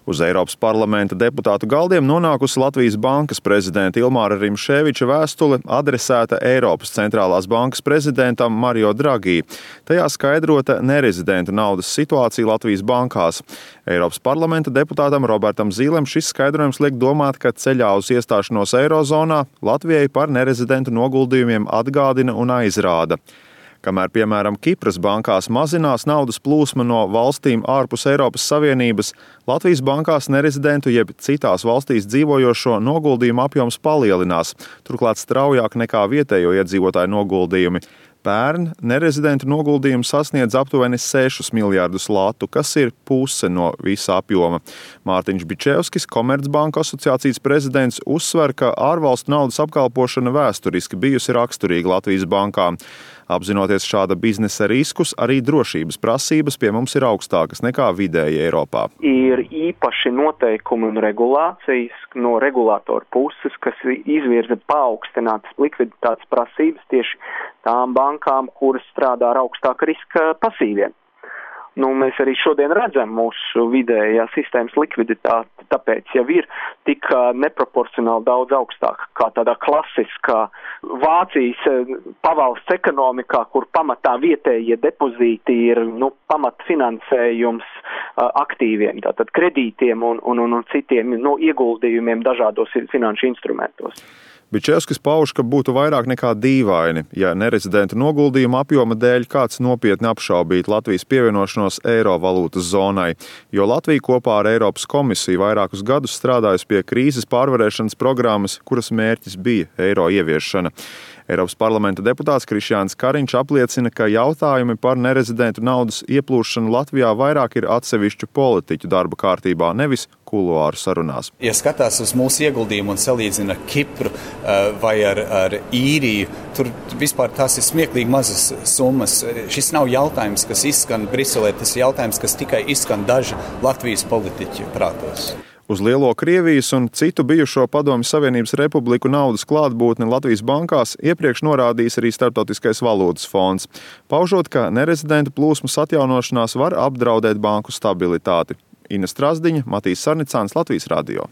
Uz Eiropas parlamenta deputātu galdiem nonākusi Latvijas bankas prezidenta Ilmāra Rimšēviča vēstule adresēta Eiropas centrālās bankas prezidentam Mario Draghi. Tajā skaidrota nerezidentu naudas situācija Latvijas bankās. Eiropas parlamenta deputātam Robertam Zīlem šis skaidrojums liek domāt, ka ceļā uz iestāšanos Eirozonā Latvijai par nerezidentu noguldījumiem atgādina un aizrāda. Kamēr, piemēram, Kipras bankās mazinās naudas plūsma no valstīm ārpus Eiropas Savienības, Latvijas bankās nerezidentu jeb citās valstīs dzīvojošo noguldījumu apjoms palielinās, turklāt straujāk nekā vietējo iedzīvotāju noguldījumi. Pērn nerezidentu noguldījumi sasniedz aptuveni 6 miljārdus latu, kas ir puse no visa apjoma. Mārtiņš Bičevskis, Komercbanku asociācijas prezidents, uzsver, ka ārvalstu naudas apkalpošana vēsturiski bijusi raksturīga Latvijas bankām. Apzinoties šāda biznesa riskus, arī drošības prasības pie mums ir augstākas nekā vidēji Eiropā. Ir īpaši noteikumi un regulācijas no regulātora puses, kas izvirza paaugstinātas likviditātes prasības tieši tām bankām, kuras strādā ar augstāka riska pasīviem. Mēs arī šodien redzam mūsu vidējā sistēmas likviditāti, tāpēc jau ir tik neproporcionāli daudz augstāka kā tādā klasiskā Vācijas pavalsts ekonomikā, kur pamatā vietējie depozīti ir pamatfinansējums aktīviem, tātad kredītiem un citiem ieguldījumiem dažādos finanšu instrumentos. Bičevskis pauž, ka būtu vairāk nekā dīvaini, ja nerezidentu noguldījumu apjoma dēļ kāds nopietni apšaubītu Latvijas pievienošanos eiro valūtas zonai, jo Latvija kopā ar Eiropas komisiju vairākus gadus strādājusi pie krīzes pārvarēšanas programmas, kuras mērķis bija eiro ieviešana. Eiropas parlamenta deputāts Krišjāns Kariņš apliecina, ka jautājumi par nerezidentu naudas ieplūšanu Latvijā vairāk ir atsevišķu politiķu darba kārtībā, nevis kuluāru sarunās. Ja skatās uz mūsu ieguldījumu un salīdzina Kipru vai ar Īriju, tur vispār tās ir smieklīgi mazas summas. Šis nav jautājums, kas izskan Briselē, tas ir jautājums, kas tikai izskan daži Latvijas politiķu prātos. Uz lielo Krievijas un citu bijušo Padomju Savienības republiku naudas klātbūtni Latvijas bankās iepriekš norādījis arī Starptautiskais valūtas fonds, paužot, ka nerezidentu plūsmas atjaunošanās var apdraudēt banku stabilitāti. Ina Strazdiņa, Matīs Sarnicāns, Latvijas radio.